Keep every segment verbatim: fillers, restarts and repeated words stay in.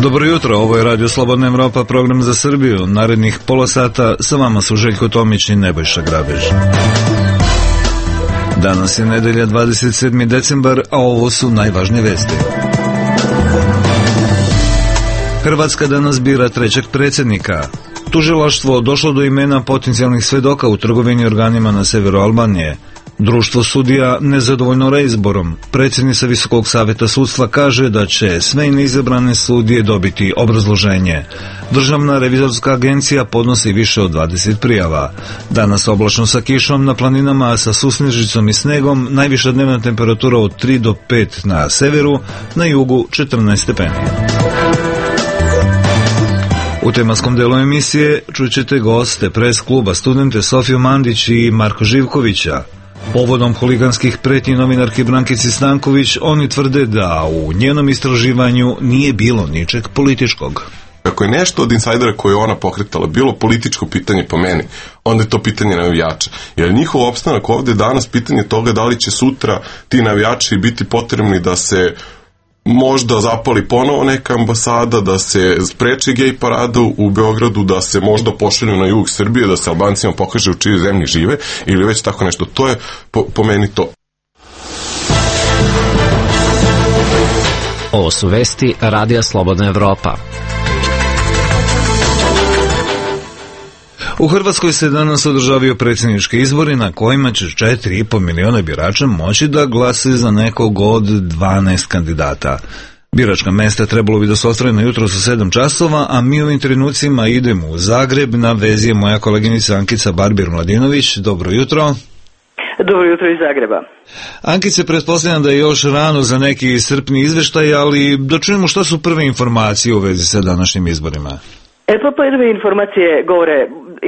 Dobro jutro, ovo je Radio Slobodna Evropa, program za Srbiju. Narednih pola sata sa vama su Željko Tomić i Nebojša Grabež. Danas je nedelja dvadeset sedmi decembar, a ovo su najvažnije vesti. Hrvatska danas bira trećeg predsjednika. Tužilaštvo došlo do imena potencijalnih svedoka u trgovini organima na severu Albanije. Društvo sudija nezadovoljno reizborom. Predsjednica Visokog savjeta sudstva kaže da će sve neizabrane sudije dobiti obrazloženje. Državna revizorska agencija podnosi više od dvadeset prijava. Danas oblačno sa kišom na planinama, sa susnežicom i snegom, najviša dnevna temperatura od tri do pet na severu, na jugu četrnaest stepeni. U tematskom delu emisije čućete goste pres kluba studente Sofiju Mandić i Marko Živkovića. Povodom huliganskih pretnji novinarki Brankici Stanković, oni tvrde da u njenom istraživanju nije bilo ničeg političkog. Ako je nešto od insajdera koje je ona pokretala bilo političko pitanje po meni, onda je to pitanje navijača. Jer njihov opstanak ovde danas pitanje toga da li će sutra ti navijači biti potrebni da se možda zapali ponovo neka ambasada, da se spreči gej paradu u Beogradu, da se možda pošalju na jug Srbije, da se Albancima pokaže u čijoj zemlji žive ili već tako nešto. To je po, po meni to. Ovo su vesti Radija Slobodna Evropa. U Hrvatskoj se danas održavaju predsjednički izbori na kojima će četiri i po miliona birača moći da glase za nekog od dvanaest kandidata. Biračka mesta trebalo bi da su otvorena jutro sa sedam časova, a mi u ovim trenucima idemo u Zagreb. Na vezi je moja koleginica Ankica Barbir-Mladinović. Dobro jutro. Dobro jutro iz Zagreba. Ankice, pretpostavljam da je još rano za neki iscrpni izveštaj, ali da čujemo šta su prve informacije u vezi sa današnjim izborima. E pa prve informacije govore,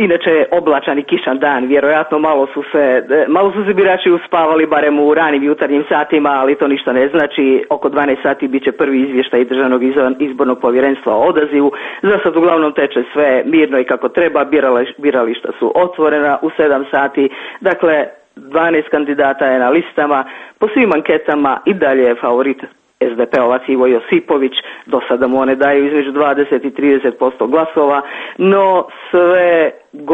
inače oblačan i kišan dan, vjerojatno malo su se malo su se birači uspavali barem u ranim jutarnjim satima, ali to ništa ne znači. Oko dvanaest sati bit će prvi izvještaj Državnog izbornog povjerenstva o odazivu. Za sad uglavnom teče sve mirno i kako treba, birališta su otvorena u sedam sati, dakle dvanaest kandidata je na listama, po svim anketama i dalje je favorit es de pe-ovac Ivo Josipović, do sada mu one daju između dvadeset i trideset posto glasova, no sve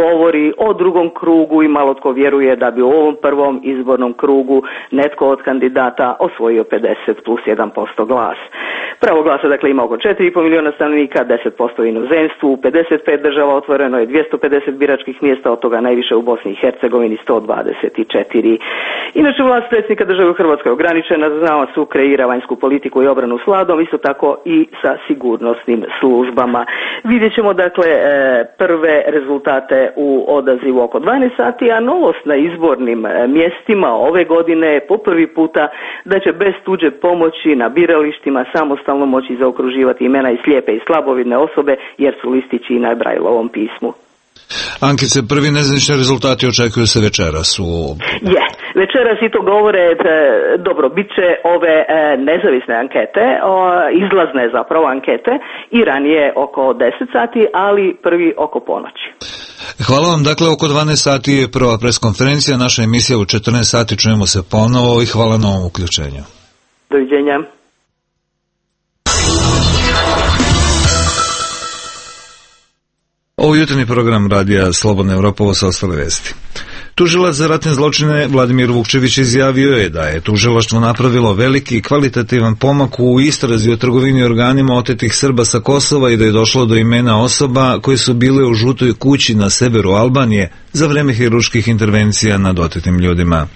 govori o drugom krugu i malo tko vjeruje da bi u ovom prvom izbornom krugu netko od kandidata osvojio pedeset plus jedan posto glas. Pravo glasa dakle ima oko četiri i po miliona stanovnika, deset posto u inozemstvu, u pedeset pet država otvoreno je dvjesto pedeset biračkih mjesta, od toga najviše u Bosni i Hercegovini sto dvadeset četiri. Inače vlast predsjednika države u Hrvatskoj je ograničena, znamo su kreira vanjsku politiku i obranu s vladom, isto tako i sa sigurnosnim službama. Vidjet ćemo dakle prve rezultate u odazivu oko dvanaest sati, a novost na izbornim mjestima ove godine je po prvi puta da će bez tuđe pomoći na biralištima samostalno moći zaokruživati imena i slijepe i slabovidne osobe, jer su listići i na Brajlovom pismu. Ankice, prvi nezvanični rezultati očekuju se večeras u... Je, večeras i to govore, dobro, bit će ove e, nezavisne ankete, o, izlazne zapravo ankete i ranije oko deset sati, ali prvi oko ponoći. Hvala vam, dakle oko dvanaest sati je prva preskonferencija, naša emisija u četrnaest sati, čujemo se ponovo i hvala na ovom uključenju. Doviđenja. Ovo jutarnji program Radija Slobodna Evropa, ovo su ostale vesti. Tužilac za ratne zločine Vladimir Vukčević izjavio je da je tužilaštvo napravilo veliki kvalitativan pomak u istrazi o trgovini organima otetih Srba sa Kosova i da je došlo do imena osoba koje su bile u žutoj kući na severu Albanije za vreme hirurških intervencija nad otetim ljudima.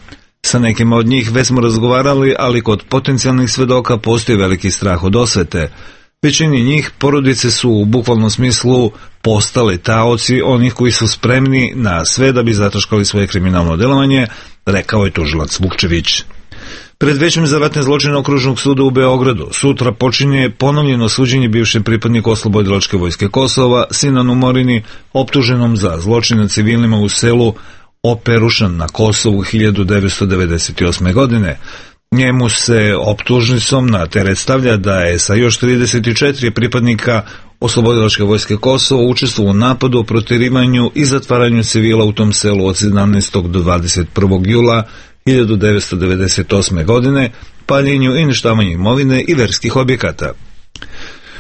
Sa nekima od njih već smo razgovarali, ali kod potencijalnih svedoka postoji veliki strah od osvete. Većini njih porodice su u bukvalnom smislu postale taoci onih koji su spremni na sve da bi zataškali svoje kriminalno delovanje, rekao je tužilac Vukčević. Pred Većem za ratne zločine Okružnog suda u Beogradu sutra počinje ponovljeno suđenje bivšem pripadniku Oslobodilačke vojske Kosova, Sinanu Morini, optuženom za zločine nad civilima u selu Operušan na Kosovu hiljadu devetsto devedeset osme. godine. Njemu se optužnicom na teret stavlja da je sa još trideset četiri pripadnika Oslobodilačke vojske Kosova učestvovao u napadu, protjerivanju i zatvaranju civila u tom selu od sedamnaestog do dvadeset prvog jula hiljadu devetsto devedeset osme. godine, paljenju i uništavanju imovine i verskih objekata.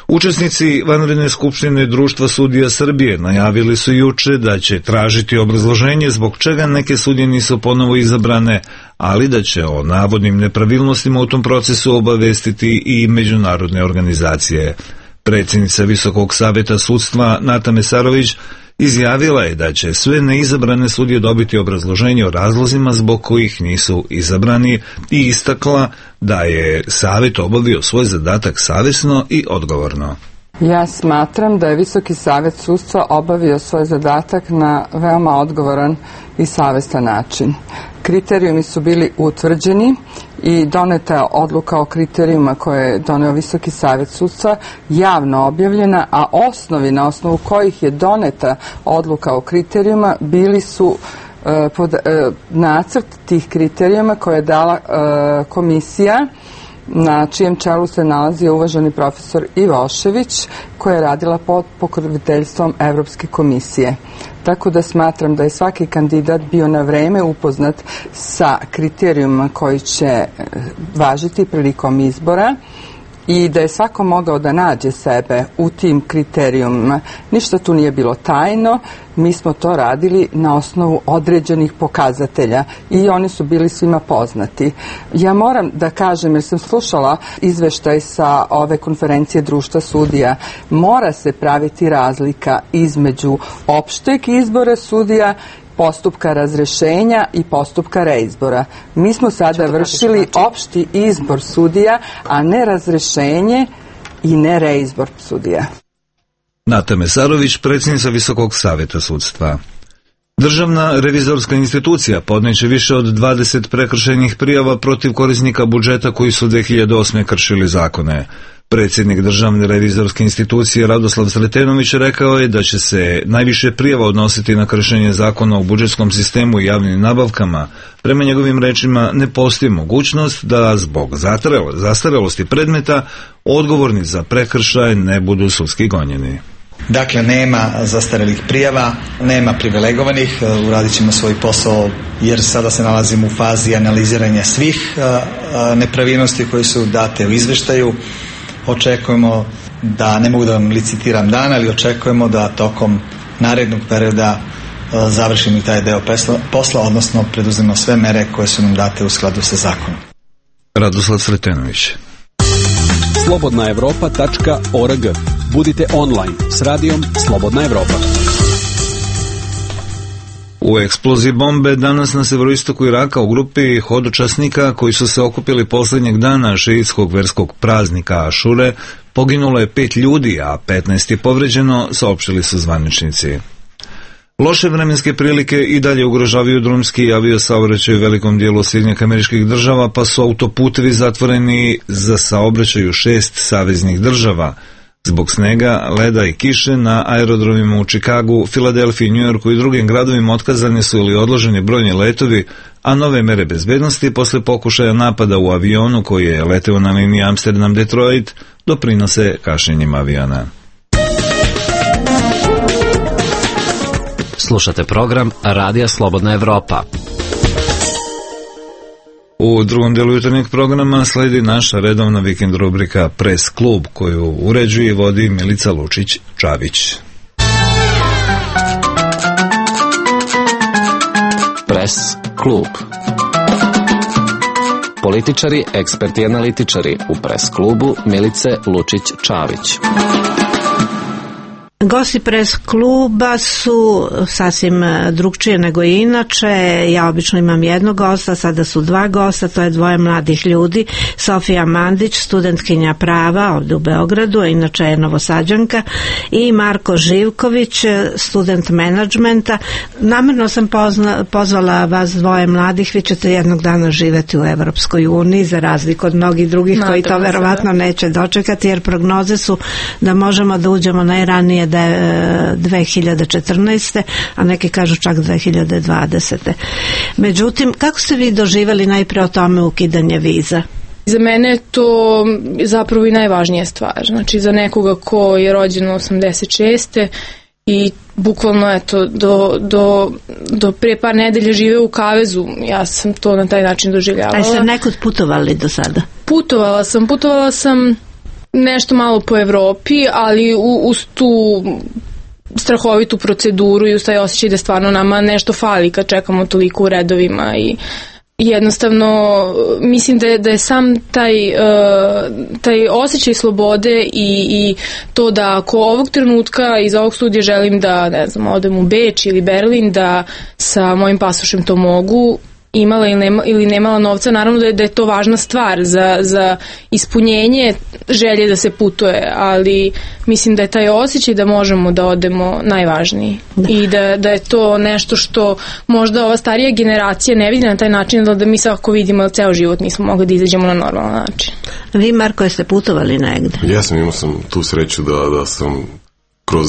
Učesnici vanredne skupštine Društva sudija Srbije najavili su juče da će tražiti obrazloženje zbog čega neke sudije nisu ponovo izabrane, ali da će o navodnim nepravilnostima u tom procesu obavestiti i međunarodne organizacije. Predsjednica Visokog saveta sudstva Nata Mesarović izjavila je da će sve neizabrane sudije dobiti obrazloženje o razlozima zbog kojih nisu izabrani i istakla da je savet obavio svoj zadatak savjesno i odgovorno. Ja smatram da je Visoki savet sudstva obavio svoj zadatak na veoma odgovoran i savjestan način. Kriterijumi su bili utvrđeni i doneta je odluka o kriterijuma koje je doneo Visoki savet sudstva javno objavljena, a osnovi na osnovu kojih je doneta odluka o kriterijuma bili su e, pod, e, nacrt tih kriterijuma koje je dala e, komisija na čijem čelu se nalazi uvaženi profesor Ivošević, koja je radila pod pokroviteljstvom Evropske komisije. Tako da smatram da je svaki kandidat bio na vreme upoznat sa kriterijuma koji će važiti prilikom izbora i da je svako mogao da nađe sebe u tim kriterijumima. Ništa tu nije bilo tajno, mi smo to radili na osnovu određenih pokazatelja i oni su bili svima poznati. Ja moram da kažem, jer sam slušala izveštaj sa ove konferencije Društva sudija, mora se praviti razlika između opšteg izbora sudija, postupka razrešenja i postupka reizbora. Mi smo sada vršili opšti izbor sudija, a ne razrešenje i ne reizbor sudija. Nata Mesarović, predsjednica Visokog saveta sudstva. Državna revizorska institucija podneće više od dvadeset prekršajnih prijava protiv korisnika budžeta koji su dve hiljade osme. kršili zakone. Predsjednik Državne revizorske institucije Radoslav Sretenović rekao je da će se najviše prijava odnositi na kršenje zakona o budžetskom sistemu i javnim nabavkama. Prema njegovim rečima ne postoji mogućnost da zbog zastarelosti predmeta odgovorni za prekršaj ne budu sudski gonjeni. Dakle, nema zastarelih prijava, nema privilegovanih, uradit ćemo svoj posao jer sada se nalazimo u fazi analiziranja svih nepravilnosti koje su date u izveštaju. Očekujemo da, ne mogu da vam licitiram dan, ali očekujemo da tokom narednog perioda završimo i taj deo posla, odnosno preduzmemo sve mere koje su nam date u skladu sa zakonom. Radoslav Sretenović. slobodna evropa tačka org. Budite online s radijom Slobodna Evropa. U eksploziji bombe danas na severoistoku Iraka u grupi hodočasnika koji su se okupili posljednjeg dana šiitskog verskog praznika Ašure poginulo je pet ljudi, a petnaest je povređeno, saopštili su zvaničnici. Loše vremenske prilike i dalje ugrožavaju drumski i aviosaobraćaj u velikom dijelu Sjedinjenih Američkih Država, pa su autoputevi zatvoreni za saobraćaj u šest saveznih država. Zbog snega, leda i kiše na aerodromima u Čikagu, Filadelfiji, Njujorku i drugim gradovima otkazani su ili odloženi brojni letovi, a nove mere bezbednosti posle pokušaja napada u avionu koji je leteo na liniji Amsterdam-Detroit doprinose kašnjenjima aviona. Slušate program Radija Slobodna Evropa. U drugom delu jutarnjeg programa sledi naša redovna vikend rubrika Press klub, koju uređuje i vodi Milica Lučić-Čavić. Press klub. Političari, eksperti i analitičari u Press klubu Milice Lučić-Čavić. Gosti Press kluba su sasvim drugčije nego inače. Ja obično imam jednog gosta, sada su dva gosta, to je dvoje mladih ljudi. Sofija Mandić, studentkinja prava ovdje u Beogradu, a inače je Novosađanka, i Marko Živković, student menadžmenta. Namerno sam pozna, pozvala vas dvoje mladih, vi ćete jednog dana živjeti u Evropskoj uniji, za razliku od mnogih drugih koji to verovatno neće dočekati, jer prognoze su da možemo da uđemo najranije da je dve hiljade četrnaeste. a neki kažu čak dve hiljade dvadesete. Međutim, kako ste vi doživjeli najprije o tome ukidanje viza? Za mene je to zapravo i najvažnija stvar. Znači, za nekoga ko je rođen osamdeset šeste i bukvalno eto, do, do, do pre par nedelja žive u kavezu, ja sam to na taj način doživljavala. A ste nekud putovali do sada? Putovala sam, putovala sam nešto malo po Evropi, ali uz tu strahovitu proceduru i uz taj osjećaj da stvarno nama nešto fali kad čekamo toliko u redovima i jednostavno mislim da je, da je sam taj, uh, taj osjećaj slobode i, i to da ako ovog trenutka iz ovog studija želim da, ne znam, odem u Beč ili Berlin, da sa mojim pasošem to mogu, imala ili, nema, ili nemala novca, naravno da je, da je to važna stvar za, za ispunjenje želje da se putuje, ali mislim da je taj osjećaj da možemo da odemo najvažniji da. I da, da je to nešto što možda ova starija generacija ne vidi na taj način, da, da mi svakako vidimo da ceo život nismo mogli da izađemo na normalan način. Vi, Marko, jeste putovali negde? Ja sam, imao sam tu sreću da, da sam kroz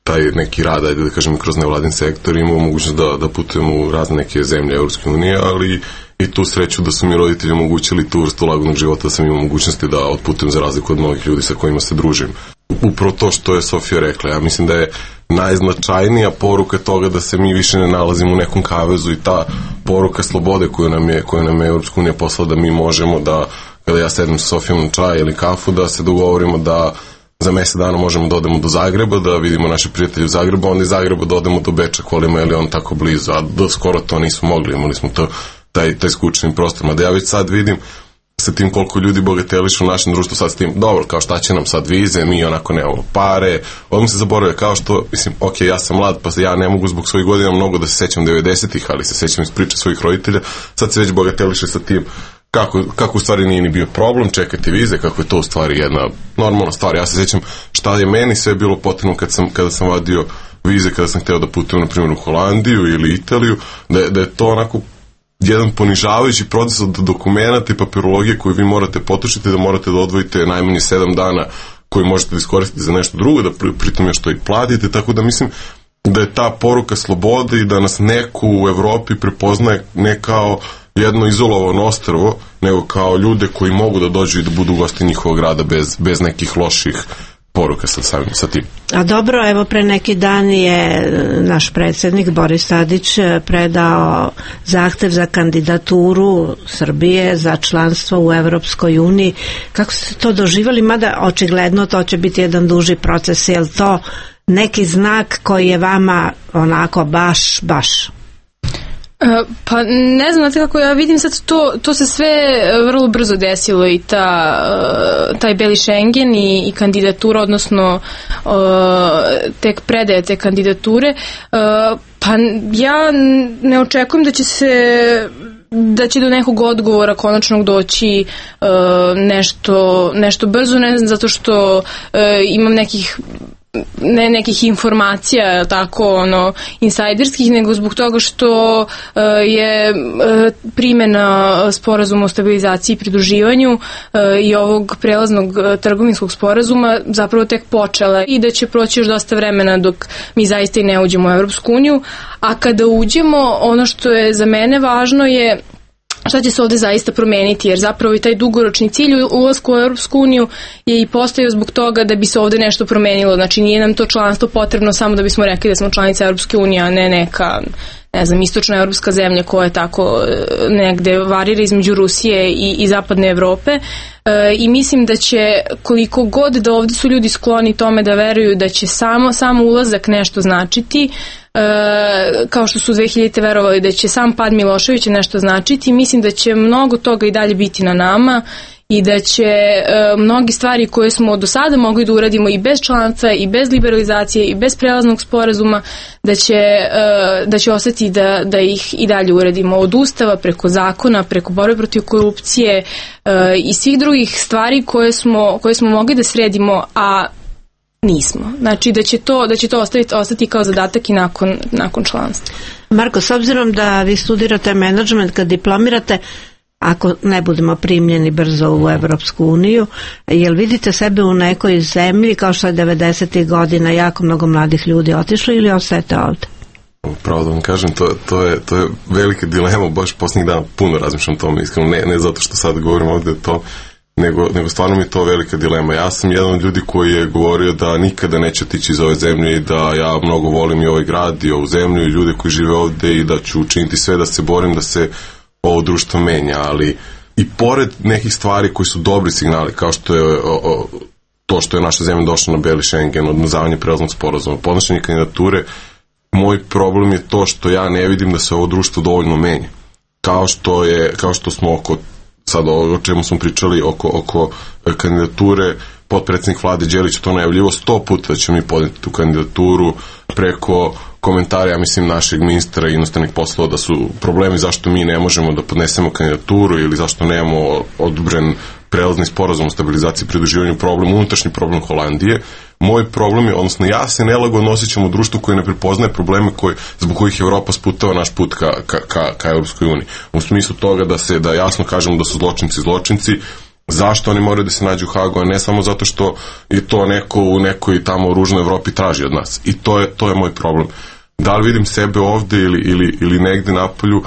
taj neki rad, ajde da kažem, kroz nevladin sektor imao mogućnost da, da putujem u razne neke zemlje Evropske unije, ali i tu sreću da su mi roditelji omogućili tu vrstu lagodnog života, da sam imao mogućnosti da otputujem za razliku od mnogih ljudi sa kojima se družim. Upravo to što je Sofija rekla, ja mislim da je najznačajnija poruka toga da se mi više ne nalazimo u nekom kavezu i ta poruka slobode koju nam je, koju nam je Evropska unija poslala, da mi možemo da, kada ja sedem sa Sofijom na čaj ili kafu, da se dogovorimo da za mesec dana možemo da odemo do Zagreba, da vidimo naše prijatelje u Zagrebu, onda iz Zagreba da odemo do Beča, kolima je li on tako blizu, a do skoro to nismo mogli, imali smo to, taj, taj skučeni prostor. Ma da ja već sad vidim sa tim koliko ljudi bogatelišu u našem društvu, sad s tim, dobro, kao šta će nam sad vize, mi onako nemamo pare, odmah se zaboravlja, kao što, mislim, ok, ja sam mlad, pa ja ne mogu zbog svojih godina mnogo da se sećam devedesetih, ali se sećam iz priče svojih roditelja, sad se već bogateliše sa tim, Kako, kako u stvari nije ni bio problem čekati vize, kako je to u stvari jedna normalna stvar. Ja se sjećam šta je meni sve bilo potrebno kad sam, kada sam vadio vize, kada sam hteo da putujem na primjer u Holandiju ili Italiju, da je, da je to onako jedan ponižavajući proces od dokumenta i papirologije koju vi morate potrošiti, da morate da odvojite najmanje sedam dana koji možete da iskoristite za nešto drugo, da pri, pritom još to i platite, tako da mislim da je ta poruka slobode i da nas neko u Evropi prepoznaje ne kao jedno izolovano ostrvo, nego kao ljude koji mogu da dođu i da budu gosti njihovog grada bez, bez nekih loših poruka sa, samim, sa tim. A dobro, evo pre neki dan je naš predsjednik Boris Tadić predao zahtev za kandidaturu Srbije za članstvo u Evropskoj uniji. Kako ste to doživjeli? Mada očigledno to će biti jedan duži proces. Je li to neki znak koji je vama onako baš, baš? Pa ne znam, znate kako ja vidim sad to, to se sve vrlo brzo desilo i ta, taj beli Schengen i, i kandidatura, odnosno tek predaje te kandidature, pa ja ne očekujem da će se da će do nekog odgovora konačnog doći nešto, nešto brzo, ne znam, zato što imam nekih ne nekih informacija tako ono insajderskih, nego zbog toga što uh, je uh, primjena sporazuma o stabilizaciji i pridruživanju uh, i ovog prelaznog uh, trgovinskog sporazuma zapravo tek počela i da će proći još dosta vremena dok mi zaista i ne uđemo u Evropsku uniju, a kada uđemo, ono što je za mene važno je šta će se ovde zaista promeniti, jer zapravo i taj dugoročni cilj ulasku u Europsku uniju je i postojao zbog toga da bi se ovde nešto promenilo. Znači nije nam to članstvo potrebno samo da bismo rekli da smo članica Europske unije, a ne neka, ne znam, istočna evropska zemlja koja je tako negde varira između Rusije i, i zapadne Evrope. E, i mislim da će koliko god da ovde su ljudi skloni tome da veruju da će samo, samo ulazak nešto značiti, E, kao što su dve hiljadite verovali da će sam pad Miloševića nešto značiti, mislim da će mnogo toga i dalje biti na nama i da će e, mnogi stvari koje smo do sada mogli da uradimo i bez članstva i bez liberalizacije i bez prelaznog sporazuma, da će, e, da će ostati da, da ih i dalje uradimo od ustava preko zakona, preko borbe protiv korupcije e, i svih drugih stvari koje smo, koje smo mogli da sredimo, a nismo. Znači da će to, da će to ostaviti, ostati kao zadatak i nakon, nakon članstva. Marko, s obzirom da vi studirate menadžment, kad diplomirate, ako ne budemo primljeni brzo u Evropsku uniju, jel vidite sebe u nekoj zemlji kao što je devedesetih godina jako mnogo mladih ljudi otišlo ili ostajete ovde? Pravo da vam kažem, to, to, je, to je velika dilema, baš posljednjih dana puno razmišljam o tome, iskreno, ne, ne zato što sad govorim ovde to, nego, nego stvarno mi je to velika dilema. Ja sam jedan od ljudi koji je govorio da nikada neće otići iz ove zemlje i da ja mnogo volim i ovaj grad i ovu zemlju i ljude koji žive ovde i da ću učiniti sve da se borim da se ovo društvo menja, ali i pored nekih stvari koji su dobri signali, kao što je o, o, to što je naša zemlja došla na beli Schengen, odmazavanje prelaznog sporazuma, podnošenje kandidature, moj problem je to što ja ne vidim da se ovo društvo dovoljno menja. Kao što je, kao što smo oko, sad o čemu smo pričali, oko, oko kandidature, potpredsjednik vlade Đelić to najavljivo sto puta da ćemo mi podneti tu kandidaturu, preko komentara, ja mislim, našeg ministra inostranih poslova da su problemi zašto mi ne možemo da podnesemo kandidaturu ili zašto nemamo odobren prelazni sporazum o stabilizaciji i pridruživanju, problem, unutrašnji problem Holandije. Moj problem je, odnosno ja se nelagodno osjećam u društvu koje ne prepoznaje probleme koji, zbog kojih Evropa sputava naš put ka, ka, ka, ka Europskoj uniji. U smislu toga da se, da jasno kažemo da su zločinci zločinci, zašto oni moraju da se nađu u Hagu, a ne samo zato što je to neko u nekoj tamo ružnoj Evropi traži od nas. I to je, to je moj problem. Da li vidim sebe ovde ili, ili, ili negde napolju,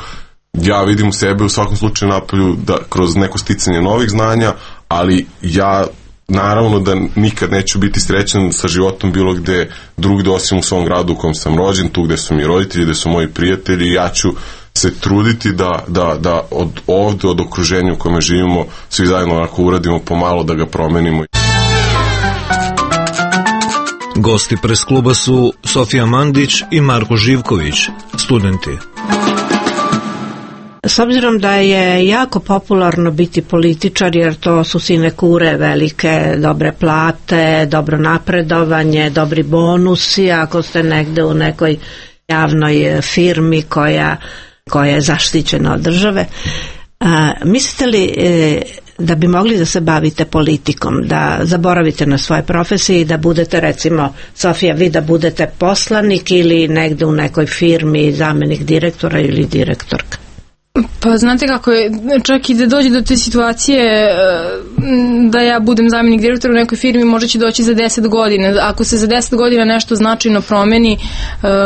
ja vidim sebe u svakom slučaju napolju da, kroz neko sticanje novih znanja, ali ja naravno da nikad neću biti srećan sa životom bilo gde drugde osim u svom gradu u kojem sam rođen, tu gde su mi roditelji, gde su moji prijatelji, ja ću se truditi da, da, da od ovde, od okruženja u kome živimo, svi zajedno onako uradimo pomalo da ga promenimo. Gosti pres kluba su Sofija Mandić i Marko Živković, studenti. S obzirom da je jako popularno biti političar, jer to su sinekure velike, dobre plate, dobro napredovanje, dobri bonusi, ako ste negde u nekoj javnoj firmi koja, koja je zaštićena od države. A, mislite li e, da bi mogli da se bavite politikom, da zaboravite na svoje profesije i da budete, recimo, Sofija, vi da budete poslanik ili negde u nekoj firmi zamenik direktora ili direktorka? Pa znate kako je, čak i da dođe do te situacije da ja budem zamjenik direktora u nekoj firmi, možda će doći za deset godina. Ako se za deset godina nešto značajno promeni,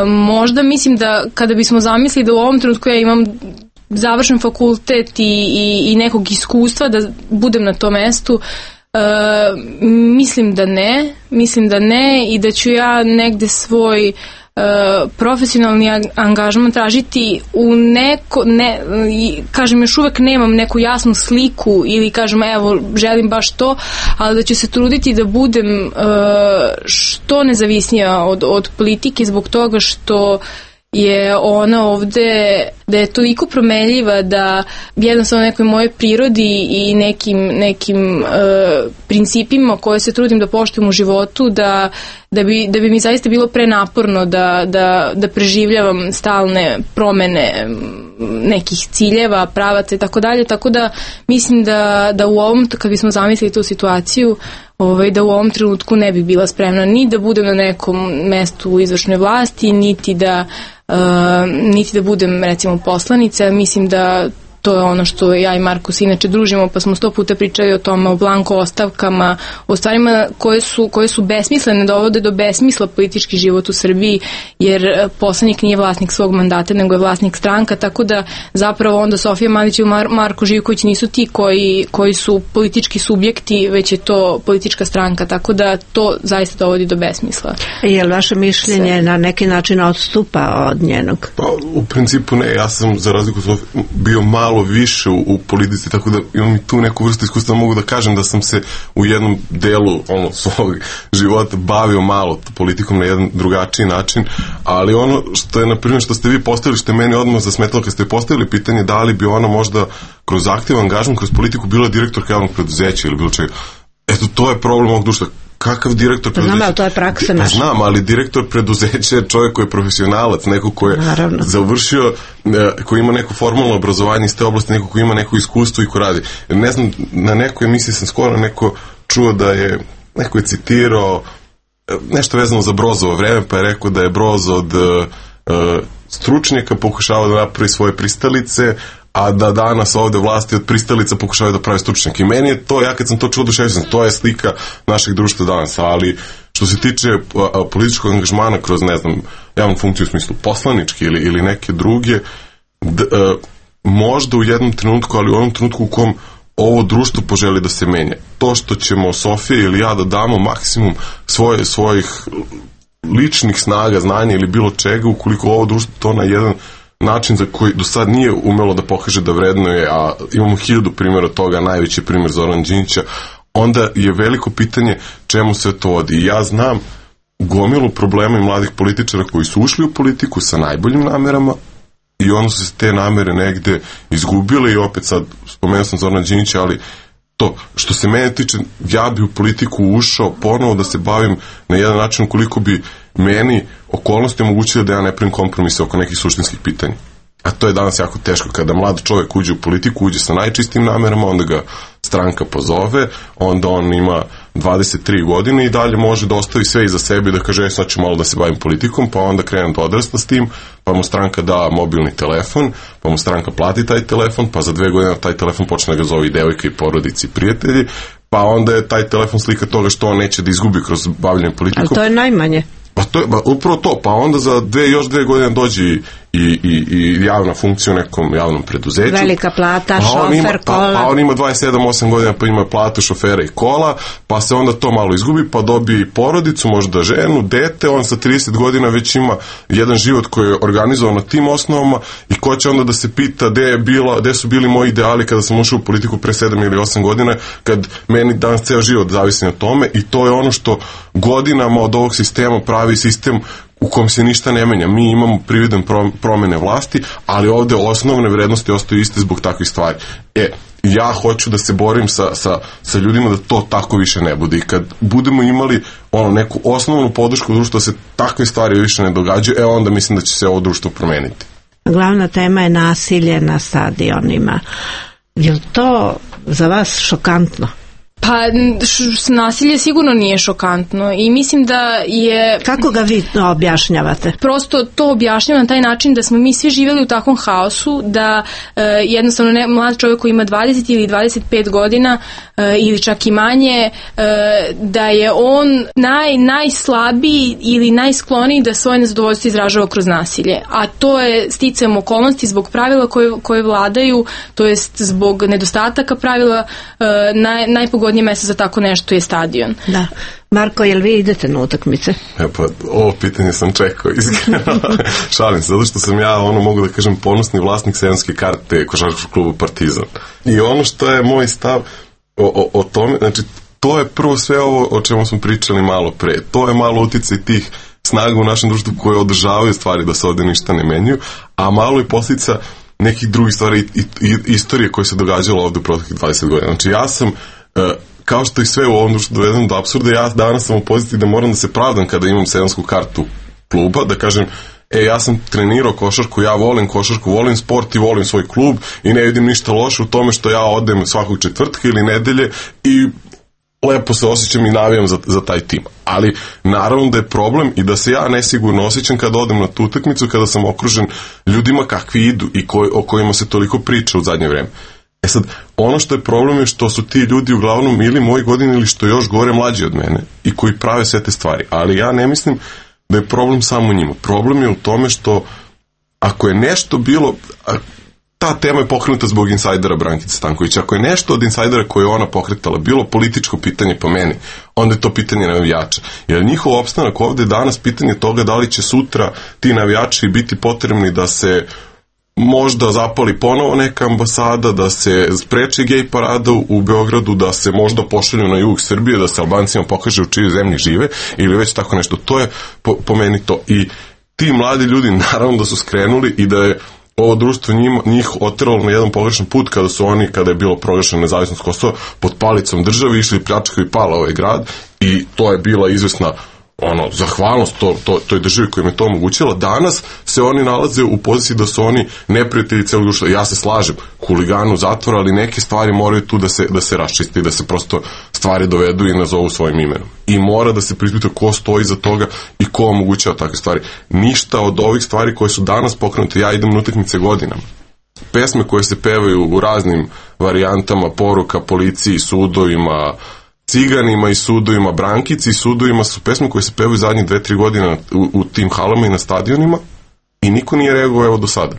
možda mislim da kada bismo zamislili da u ovom trenutku ja imam završen fakultet i, i, i nekog iskustva da budem na tom mestu, mislim da ne, mislim da ne i da ću ja negde svoj profesionalni angažman tražiti u neko, ne, kažem, još uvek nemam neku jasnu sliku ili kažem, evo, želim baš to, ali da ću se truditi da budem što nezavisnija od, od politike zbog toga što je ona ovde, da je toliko promenljiva da jednostavno nekoj mojoj prirodi i nekim, nekim uh, principima koje se trudim da poštujem u životu, da, da, bi, da bi mi zaista bilo prenaporno da, da, da preživljavam stalne promene nekih ciljeva, pravaca i tako dalje, tako da mislim da, da u ovom, kad bismo zamislili tu situaciju, ovaj, da u ovom trenutku ne bih bila spremna ni da budem na nekom mestu u izvršnoj vlasti, niti da Uh, niti da budem recimo poslanica. Mislim da to je ono što ja i Markus inače družimo, pa smo sto puta pričali o tome, o blanko ostavkama, o stvarima koje su, koje su besmislene, dovode do besmisla politički život u Srbiji, jer poslanik nije vlasnik svog mandata, nego je vlasnik stranka, tako da zapravo onda Sofija Mandić i Mar- Marko Živković nisu ti koji, koji su politički subjekti, već je to politička stranka, tako da to zaista dovodi do besmisla. Je li vaše mišljenje Se... na neki način odstupa od njenog? Pa, u principu ne, ja sam za razliku Sofije bio malo više u, u politici, tako da imam i tu neku vrstu iskustva, mogu da kažem da sam se u jednom delu ono, svog života bavio malo politikom na jedan drugačiji način, ali ono što je, na primjer, što ste vi postavili, što je meni odmah zasmetalo kad ste postavili pitanje da li bi ona možda kroz aktivan angažman, kroz politiku bila direktorka javnog preduzeća ili bilo čega. Eto, to je problem ovog društva. Kakav direktor preduzeća? Znam, ali to je praksa naša. Znam, ali direktor preduzeća je čovjek koji je profesionalac, neko koji je Naravno. završio, koji ima neko formalno obrazovanje iz te oblasti, neko koji ima neko iskustvo i ko radi. Ne znam, na nekoj emisiji sam skoro neko čuo da je, neko je citirao nešto vezano za Brozovo vreme, pa je rekao da je Broz od uh, stručnjaka pokušava da napravi svoje pristalice, a da danas ovde vlasti od pristalica pokušavaju da pravi stručnjak. I meni je to, ja kad sam to čuo duševio sam, to je slika našeg društva danas, ali što se tiče a, političkog angažmana kroz, ne znam, javnu funkciju u smislu poslanički ili, ili neke druge, d, a, možda u jednom trenutku, ali u onom trenutku u kom ovo društvo poželi da se menja. To što ćemo Sofija ili ja da damo maksimum svoje, svojih ličnih snaga, znanja ili bilo čega, ukoliko ovo društvo to na jedan način za koji do sad nije umelo da pokaže da vrednuje, a imamo hiljadu primjera toga, najveći primjer Zoran Đinđića, onda je veliko pitanje čemu sve to vodi. I ja znam gomilu problema i mladih političara koji su ušli u politiku sa najboljim namerama i onda su se te namere negde izgubile i opet sad spomenuo sam Zorana Đinđića, ali to, što se mene tiče, ja bi u politiku ušao ponovo da se bavim na jedan način koliko bi meni okolnosti omogućile da ja ne pravim kompromise oko nekih suštinskih pitanja. A to je danas jako teško. Kada mlad čovjek uđe u politiku, uđe sa najčistim namerama, onda ga stranka pozove, onda on ima dvadeset tri godine i dalje može da ostavi sve iza sebe i da kaže, sad ću malo da se bavim politikom, pa onda krenem da odrasta s tim, pa mu stranka da mobilni telefon, pa mu stranka plati taj telefon, pa za dve godine taj telefon počne da ga zove i devojka i porodici i prijatelji, pa onda je taj telefon slika toga što on neće da izgubi kroz bavljanje politikom. Ali to je najmanje. Pa to je, ba, upravo to, pa onda za dve, još dve godine dođe i, i, i javna funkcija u nekom javnom preduzeću. Velika plata, pa šofer, ima, kola. Pa, pa on ima dvadeset sedam osam godina, pa ima platu, šofera i kola, pa se onda to malo izgubi, pa dobije i porodicu, možda ženu, dete, on sa trideset godina već ima jedan život koji je organizovan na tim osnovama i ko će onda da se pita gde je bila, gde su bili moji ideali kada sam ušao u politiku pre sedam ili osam godina, kad meni danas ceo život zavisi na tome i to je ono što godinama od ovog sistema pravi sistem u kom se ništa ne menja. Mi imamo prividan promene vlasti, ali ovde osnovne vrednosti ostaju iste zbog takvih stvari. E, ja hoću da se borim sa, sa, sa ljudima da to tako više ne bude i kad budemo imali ono, neku osnovnu podršku društva da se takve stvari više ne događaju, e onda mislim da će se ovo društvo promeniti. Glavna tema je nasilje na stadionima. Je li to za vas šokantno? Pa š, nasilje sigurno nije šokantno i mislim da je... Kako ga vi objašnjavate? Prosto to objašnjavam na taj način da smo mi svi živjeli u takvom haosu da e, jednostavno ne, mlad čovjek koji ima dvadeset ili dvadeset pet godina e, ili čak i manje, e, da je on naj, najslabiji ili najskloniji da svoje nezadovoljstvo izražava kroz nasilje. A to je sticajem okolnosti zbog pravila koje, koje vladaju, to jest zbog nedostataka pravila, e, naj, najpogodnije mjesto za tako nešto je stadion. Da. Marko, jel vi idete na utakmice? E pa, ovo pitanje sam čekao, iskreno. Šalim se, zato što sam ja, ono, mogu da kažem, ponosni vlasnik sezonske karte košarkaškog kluba Partizan. I ono što je moj stav o, o, o tome, znači, to je prvo sve ovo o čemu smo pričali malo pre. To je malo uticaj tih snaga u našem društvu koje održavaju stvari da se ovde ništa ne menjuju, a malo i posljedica nekih drugih stvari i, i istorije koje se događalo ovde u proteklih dvadeset godina. Znači, ja sam kao što i sve u ovom društvu dovedem do apsurda, ja danas sam u poziciji da moram da se pravdam kada imam sezonsku kartu kluba, da kažem, e, ja sam trenirao košarku, ja volim košarku, volim sport i volim svoj klub i ne vidim ništa loše u tome što ja odem svakog četvrtka ili nedelje i lepo se osjećam i navijam za, za taj tim. Ali naravno da je problem i da se ja nesigurno osjećam kada odem na tu utakmicu, kada sam okružen ljudima kakvi idu i koj, o kojima se toliko priča u zadnje vreme. E sad, ono što je problem je što su ti ljudi uglavnom ili moji godini ili što još gore mlađi od mene i koji prave sve te stvari. Ali ja ne mislim da je problem samo u njima. Problem je u tome što ako je nešto bilo, ta tema je pokrenuta zbog insajdera Brankice Stankovića, ako je nešto od insajdera koje je ona pokretala bilo političko pitanje po meni, onda je to pitanje navijača. Jer njihov opstanak ovde je danas pitanje toga da li će sutra ti navijači biti potrebni da se možda zapali ponovo neka ambasada, da se spreči gej parada u Beogradu, da se možda pošalju na jug Srbije, da se Albancima pokaže u čijoj zemlji žive ili već tako nešto. To je po, po meni to. I ti mladi ljudi naravno da su skrenuli i da je ovo društvo njima, njih oteralo na jedan pogrešan put kada su oni, kada je bilo proglašena nezavisnost Kosova, pod palicom države išli pljačkaju i pala ovaj grad i to je bila izvesna ono, zahvalnost to, to, toj državi koja im je to omogućila. Danas se oni nalaze u poziciji da su oni neprijatelji celog društva. Ja se slažem, huliganu zatvora, ali neke stvari moraju tu da se, da se raščiste i da se prosto stvari dovedu i nazovu svojim imenom. I mora da se preispita ko stoji za toga i ko omogućava takve stvari. Ništa od ovih stvari koje su danas pokrenute, ja idem na utakmice godinama. Pesme koje se pevaju u raznim varijantama, poruka policiji, sudovima, ciganima i sudovima, Brankici i sudovima su pesme koje se pevaju zadnjih dve, tri godina u, u tim halama i na stadionima i niko nije reagovao evo do sada.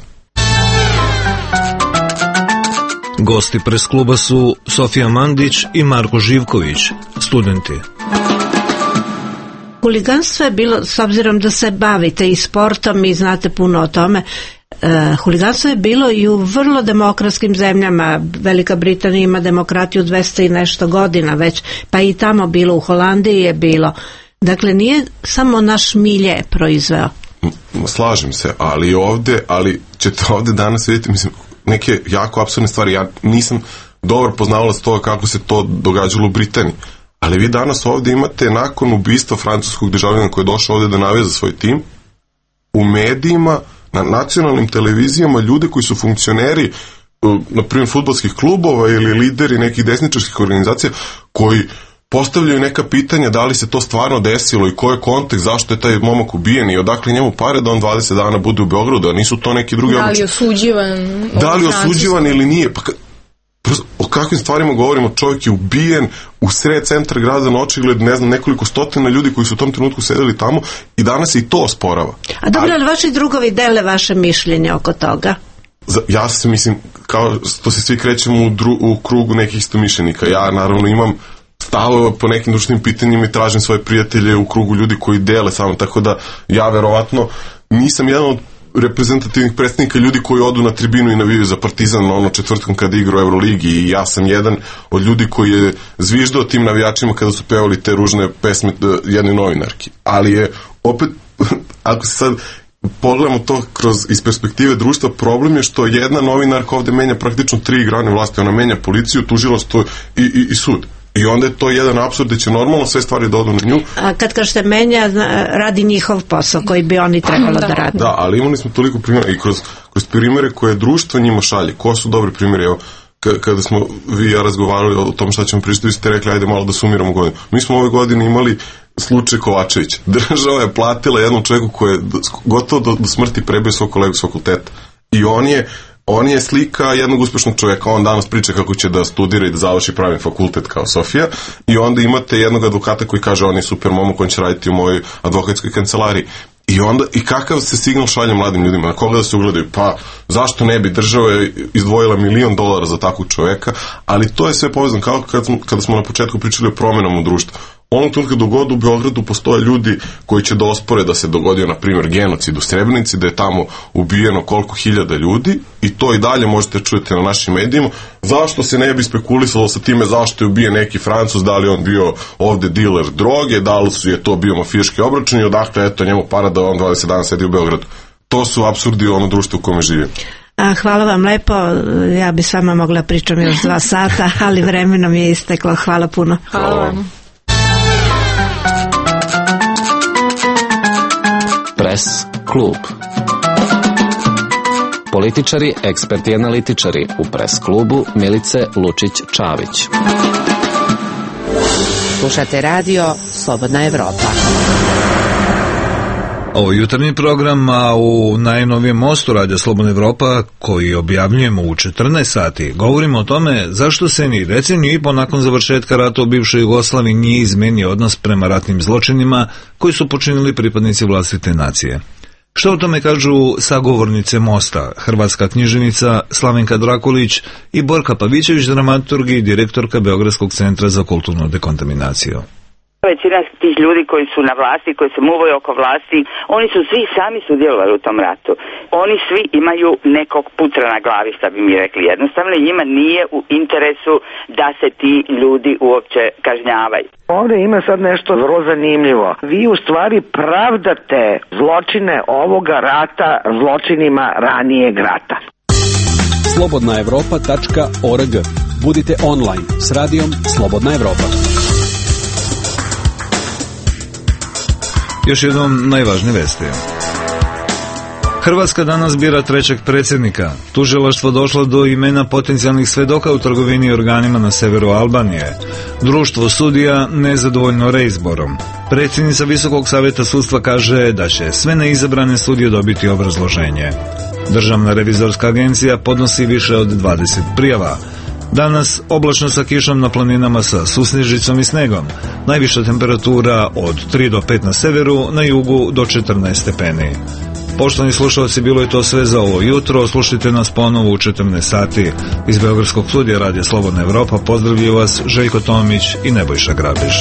Gosti pres kluba su Sofija Mandić i Marko Živković, studenti. Huliganstvo je bilo, s obzirom da se bavite i sportom i znate puno o tome, e, huliganstvo je bilo i u vrlo demokratskim zemljama. Velika Britanija ima demokratiju dvesta i nešto godina već, pa i tamo bilo, u Holandiji je bilo. Dakle, nije samo naš milje proizveo. Slažem se, ali ovde, ali ćete ovde danas vidjeti, mislim, neke jako apsurdne stvari. Ja nisam dobro poznavalac toga kako se to događalo u Britaniji. Ali vi danas ovde imate, nakon ubistva francuskog državljana koji je došao ovde da navija za svoj tim, u medijima, na nacionalnim televizijama, ljude koji su funkcioneri, na primjer fudbalskih klubova ili lideri nekih desničarskih organizacija, koji postavljaju neka pitanja da li se to stvarno desilo i koji je kontekst, zašto je taj momak ubijen i odakle njemu pare da on dvadeset dana bude u Beogradu, a nisu to neki drugi običaj. Da li je osuđivan? Da li je osuđivan ili nije? Pa o kakvim stvarima govorimo? Čovjek je ubijen u sred centra grada, na očigled, ne znam, nekoliko stotina ljudi koji su u tom trenutku sedeli tamo i danas se i to osporava. A dobro, ali vaši drugovi dele vaše mišljenje oko toga? Ja se mislim, kao što se svi krećemo u, dru, u krugu nekih istomišljenika. Ja naravno imam stavove po nekim društvenim pitanjima i tražim svoje prijatelje u krugu ljudi koji dele samo, tako da ja verovatno nisam jedan od reprezentativnih predstavnika ljudi koji odu na tribinu i navijaju za Partizan na ono četvrtkom kada igra u Euroligi i ja sam jedan od ljudi koji je zviždao tim navijačima kada su pevali te ružne pesme jednoj novinarki. Ali je opet, ako se sad pogledamo to kroz iz perspektive društva, problem je što jedna novinarka ovde menja praktično tri grane vlasti, ona menja policiju, tužilaštvo i, i, i sud. I onda je to jedan apsurd da će normalno sve stvari da odu na nju. A kad kažete menja, radi njihov posao koji bi oni trebalo da, da radi. Da, ali imali smo toliko primjera i kroz, kroz primjere koje društvo njima šalje. Ko su dobri primjeri? Evo, kada smo vi i ja razgovarali o tom šta ćemo pričati, vi ste rekli ajde malo da sumiramo godinu. Mi smo ove godine imali slučaj Kovačevića. Država je platila jednom čovjeku koji je gotovo do, do smrti prebio svog kolegu s fakulteta. I on je On je slika jednog uspešnog čovjeka, on danas priča kako će da studira i da završi pravni fakultet kao Sofija i onda imate jednog advokata koji kaže on je super momak, on će raditi u mojoj advokatskoj kancelariji. I onda, i kakav se signal šalje mladim ljudima, na koga da se ugledaju? Pa, zašto ne bi država izdvojila milion dolara za takvog čovjeka, ali to je sve povezano, kao kad smo, kada smo na početku pričali o promjenama u društvu. Onog trenutka dogod u Beogradu postoje ljudi koji će da ospore da se dogodio, na primjer, genocid u Srebrenici, da je tamo ubijeno koliko hiljada ljudi i to i dalje možete čujete na našim medijima. Zašto se ne bi spekulisalo sa time zašto je ubijen neki Francuz, da li on bio ovde diler droge, da li su je to bio mafijaški obračun i odakle eto njemu para da on dvadeset dana sedi u Beogradu. To su apsurdi ono društvo u kome živimo. A, hvala vam lepo, ja bi s vama mogla pričam još dva sata, ali vremenom je isteklo. Hvala puno. Hvala vam. Pres klub. Političari, eksperti i analitičari u Pres klubu Milice Lučić-Čavić. Slušate radio Slobodna Evropa. Ovo jutarnji program, a u najnovijem mostu Radija Slobodna Evropa, koji objavljujemo u četrnaest sati, govorimo o tome zašto se ni deceniju i po nakon završetka rata u bivšoj Jugoslaviji nije izmenio odnos prema ratnim zločinima koji su počinili pripadnici vlastite nacije. Što o tome kažu sagovornice mosta, hrvatska književnica Slavenka Drakulić i Borka Pavićević, dramaturg i direktorka Beogradskog centra za kulturnu dekontaminaciju. Većina tih ljudi koji su na vlasti, koji se muvaju oko vlasti, oni su svi sami sudjelovali u tom ratu. Oni svi imaju nekog putra na glavi, šta bi mi rekli. Jednostavno njima nije u interesu da se ti ljudi uopće kažnjavaju. Ovdje ima sad nešto vrlo zanimljivo. Vi u stvari pravdate zločine ovoga rata zločinima ranijeg rata. slobodna evropa tačka org. Budite online s radijom Slobodna Evropa. Još jednom najvažnije vesti. Hrvatska danas bira trećeg predsjednika. Tužilaštvo došlo do imena potencijalnih svedoka u trgovini organima na severu Albanije. Društvo sudija nezadovoljno reizborom. Predsjednica Visokog savjeta sudstva kaže da će sve neizabrane sudije dobiti obrazloženje. Državna revizorska agencija podnosi više od dvadeset prijava. Danas oblačno sa kišom na planinama sa susnežicom i snegom. Najviša temperatura od tri do pet na severu, na jugu do četrnaest stepeni. Poštovani slušalci, bilo je to sve za ovo jutro. Slušajte nas ponovo u četrnaest sati. Iz Beogradskog studija Radija Slobodna Evropa pozdravljaju vas Željko Tomić i Nebojša Grabiš.